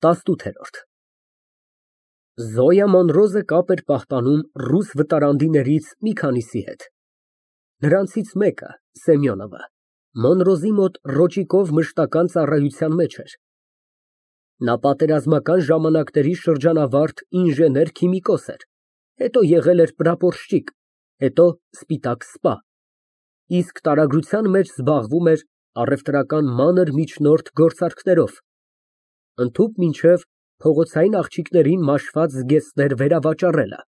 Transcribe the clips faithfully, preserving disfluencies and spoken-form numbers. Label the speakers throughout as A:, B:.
A: ՏԱՍՆՈՒԹԵՐՈՐԴ Զոյա Մանրոզը կապ էր պահպանում ռուս վտարանդիներից մի քանիսի հետ, նրանցից մեկը ֊ Սեմյոնովը, Մանրոզի մոտ ռոճիկով մշտական ծառայության մեջ էր, նա պատերազմական ժամանակների շրջանավարտ ինժեներ֊քիմիկոս էր, հետո եղել էր պրապորշչիկ, հետո սպիտակ սպա, իսկ տարագրության մեջ զբաղվում էր առևտրական մանր միջնորդ գործարքներով, ընդհուպ մինչև փողոցային աղջիկներին մաշված զգեստներ վերավաճառելը։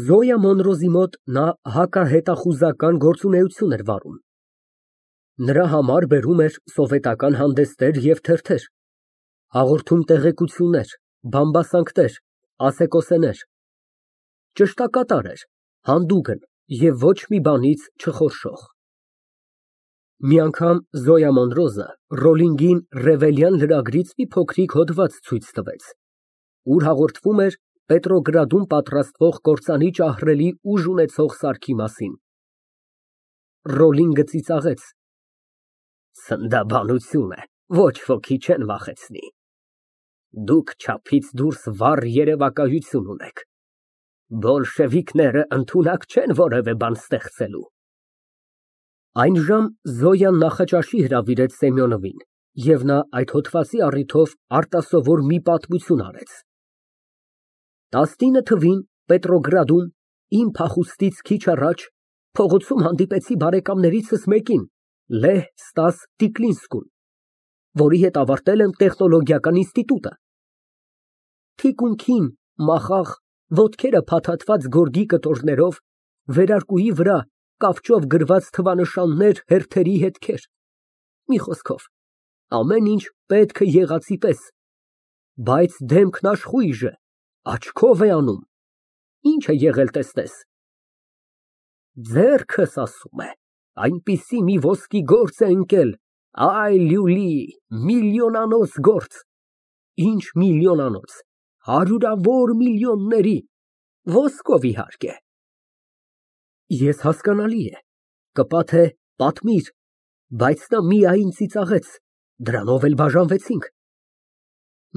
A: Զոյա Մանրոզի մոտ նա հակահետախուզական գործունեություն էր վարում, նրա համար բերում էր սովետական հանդեսներ և թերթեր, հաղորդում տեղեկություններ, բամբասանքներ, ասեկոսեներ, ճշտակատար էր, հանդուգն և ոչ մի բանից չխորշող։ Մի անգամ Զոյա Մանրոզը Ռոլինգին Ռևելյան լրագրից մի փոքրիկ հոդված ցույց տվեց, ուր հաղորդվում էր Պետրոգրադում պատրաստվող կործանի ճահռելի ուժ ունեցող սարքի մասին։ Ռոլինգը ծիծաղեց. Ցնդաբանություն է, ոչ ոքի չեն վախեցնի, դուք չափից դուրս վառ երևակայություն ունեք, բոլշևիկները ընդունակ չեն որևէ բան ստեղծելու։ Այնժամ Զոյան նախաճաշի հրավիրեց Սեմյոնովին, և նա այդ հոդվածի առիթով արտասովոր մի պատմություն արեց։ Տասնինը թվին Պետրոգրադում, իմ փախուստից քիչ առաջ, փողոցում հանդիպեցի բարեկամներիցս մեկին, Լեհ Ստաս Տիկլինսկուն, որի հետ ավարտել եմ տեխնոլոգիական ինստիտուտը։ Թիկունքին մախաղ, ոտքերը փաթաթված գորգի կտորներով, վերարկուի վրա կավճով գրված թվանշաններ, հերթերի հետքեր, մի խոսքով, ամեն ինչ պետք է եղածի պես, բայց դեմքն աշխույժ է, աչքով է անում, ինչ է եղել տեսնես։ Ձեռքս, ասում է, այնպիսի մի ոսկի գործ է ընկել, այ լյուլի, միլիոնանոց գործ, ինչ միլիոնանոց, հարյուրավոր միլիոնների, ոսկով իհարկե։ Ես հասկանալի է, կպաթե պատմիր, բայց նա միայն ծիծաղեց, դրանով էլ բաժանվեցինք։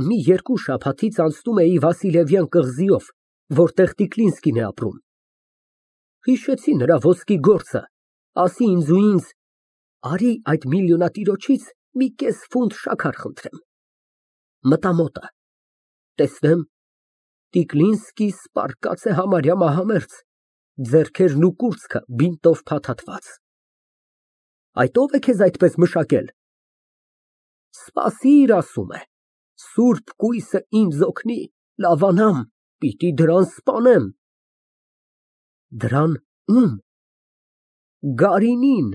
A: Մի երկու շաբաթից անցնում էի Վասիլևյան կղզիով, որտեղ Տիկլինսկին է ապրում։ Հիշեցի նրա ոսկի գործը, ասի ինձ ու ինձ, արի այդ միլիոնատիրոջից մի կես ֆունտ շաքար խնդրեմ։ Մտա մոտը, տեսնեմ, Տիկլինսկիս պառկած է համարյա մահամերձ, ձեռքերն ու կուրծքը բինտով փաթաթված։ Այդ ո՞վ է քեզ այդպես մշակել։ Սպասիր, ասում է, սուրբ կույսը ինձ օգնի, լավանամ, պիտի դրան սպանեմ։ Դրան ո՞ւմ։ Գարինին։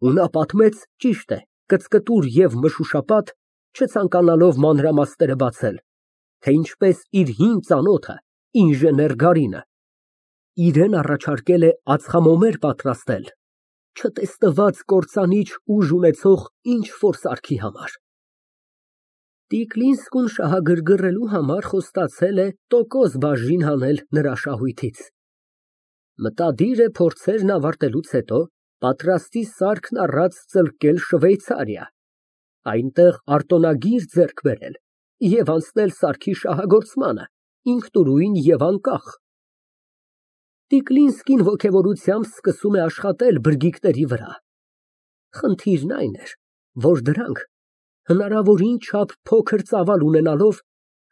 A: Ու նա պատմեց, ճիշտ է, կծկտուր և մշուշապատ, չցանկանալով մանրամասները բացել, թե ինչպես իր հին ծանոթը, ինժեներ Գարինը, իրան առաջարկել է ածխամոմեր պատրաստել չտեսնված կործանիչ ուժ ունեցող ինչ֊որ սարքի համար։ Տիկլինսկուն շահագրգռելու համար խոստացել է տոկոս բաժին հանել նրա շահույթից։ Մտադիր է փորձերն ավարտելուց հետո պատրաստի սարքն առած ծլկել Շվեյցարիա, այնտեղ արտոնագիր ձեռք բերել և անցնել սարքի շահագործմանը, ինքնուրույն և անկախ։ Տիկլինսկին ոգևորությամբ սկսում է աշխատել բրգիկների վրա։ Խնդիրն այն էր, որ դրանք հնարավորին չափ փոքր ծավալ ունենալով,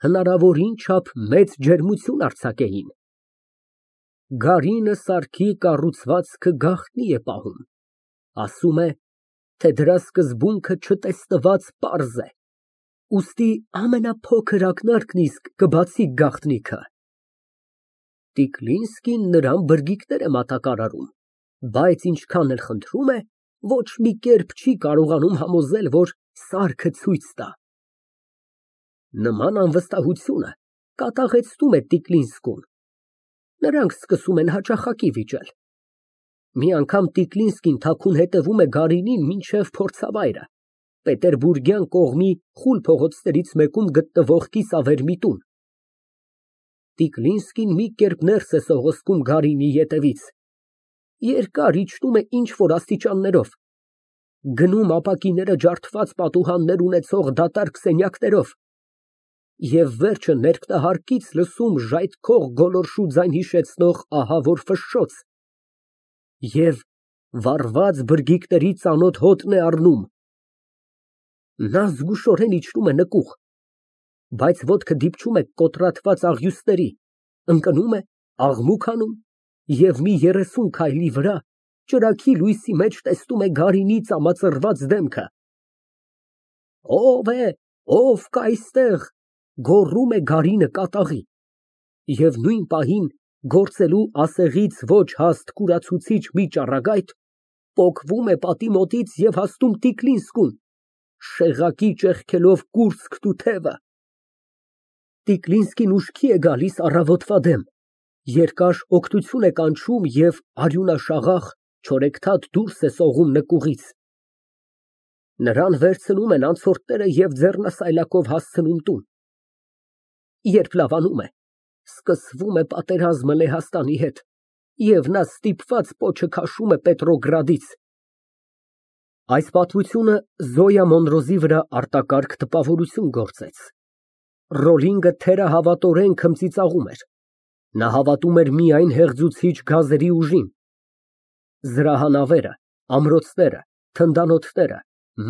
A: հնարավորին չափ մեծ ջերմություն արձակեին։ Գարինը սարքի կառուցվածքը գաղտնի է պահում, ասում է, թե դրա սկզբունքը չտեսնված պարզ է, ուստի ամենափոքր ակնարկն իսկ կբացի գաղտնիքը։ Տիկլինսկին նրան բրգիկներ է մատակարարում, բայց ինչքան էլ խնդրում է, ոչ մի կերպ չի կարողանում համոզել, որ սարքը ցույց տա։ Նման անվստահությունը կատաղեցնում է Տիկլինսկուն։ Նրանք սկսում են հաճախակի վիճել։ Մի անգամ Տիկլինսկին թաքուն հետևում է Գարինին մինչև փորձավայրը, Պետերբուրգյան կողմի խուլ փողոցներից մեկում գտնվող կիսավեր մի տուն։ Տիկլինսկին մի կերպ ներս է սողոսկում Գարինի ետևից, երկար իջնում է ինչ֊որ աստիճաններով, գնում ապակիները ջարդված պատուհաններ ունեցող դատարկ սենյակներով, և վերջը ներքնահարկից լսում ժայթքող գոլորշու ձայն հիշեցնող ահավոր ֆշշոց, և վառված բրգիկների ծանոթ հոտն է առնում, նա զգուշորեն իջնում է նկուղ, բայց ոտքը դիպչում է կոտրատված աղյուսների, ընկնում է, աղմուկ անում և մի երեսուն քայլի վրա ճրագի լույսի մեջ տեսնում է Գարինի ծամածռված դեմքը։ «Ո՞վ է, ո՞վ կա այստեղ» գոռում է Գարինը կատաղի, և նույն պահին գործելու ասեղից ոչ հաստ կուրացուցիչ մի ճառագայթ պոկվում է պատի մոտից և հասնում Տիկլինսկուն, շեղակի ճեղքելով կուրծքն ու թևը։ Տիկլինսկին ուշքի է գալիս առավոտվա դեմ, երկար օգտություն է կանչում և արյունաշաղախ, չորեքթաթ դուրս է սողում նկուղից։ Նրան վերցնում են անցորդները և ձեռնասայլակով հասցնում տուն։ Երբ լավանում է, սկսվում է պատերազմը Լեհաստանի հետ, և նա ստիպված պոչը քաշում է Պետրոգրադից։ Այս պատմությունը Զոյա Մոնրոզի վրա արտակարգ տպավորություն գործեց։ Ռոլինգը թերահավատորեն քմծիծաղում էր, նա հավատում էր միայն հեղձուցիչ գազերի ուժին։ Զրահանավերը, ամրոցները, թնդանոթները,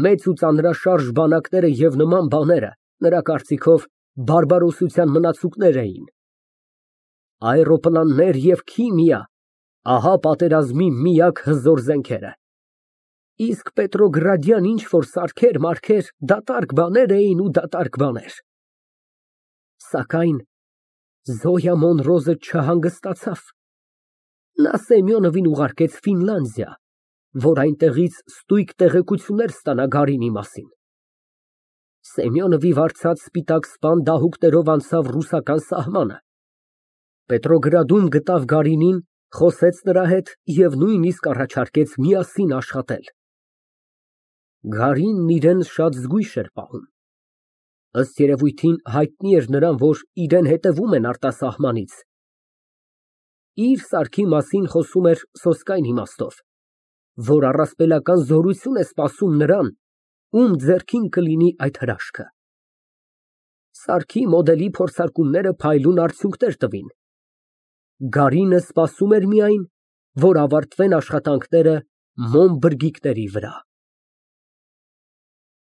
A: մեծ ու ծանրաշարժ բանակները և նման բաները, նրա կարծիքով, բարբարոսության մնացուկներ էին։ Աէրոպլաններ և քիմիա, ահա պատերազմի միակ հզոր զենքերը։ Իսկ Պետրոգրադյան ինչ֊որ սարքեր֊մարքեր դատարկ բաներ էին ու դատարկ բաներ։ Սակայն Զոյա Մոնրոզը չհանգստացավ։ Նա Սեմյոնովին ուղարկեց Ֆինլանդիա, որ այնտեղից ստույգ տեղեկություններ ստանա Գարինի մասին։ Սեմյոնովի վարձած սպիտակ սպան դահուկներով անցավ ռուսական սահմանը, Պետրոգրադում գտավ Գարինին, խոսեց նրա հետ և նույնիսկ առաջարկեց միասին աշխատել։ Գարինն իրան շատ զգույշ էր պահում։ Ըստ երևույթին, հայտնի էր նրան, որ իրան հետևում են արտասահմանից։ Իր սարքի մասին խոսում էր սոսկայն իմաստով, որ առասպելական զորություն է սպասում նրան, ում ձեռքին կլինի այդ հրաշքը։ Սարքի մոդելի փորձարկումները փայլուն արդյունքներ տվին։ Գարինը սպասում էր միայն, որ ավարտվեն աշխատանքները մոմ բրգիկների վրա։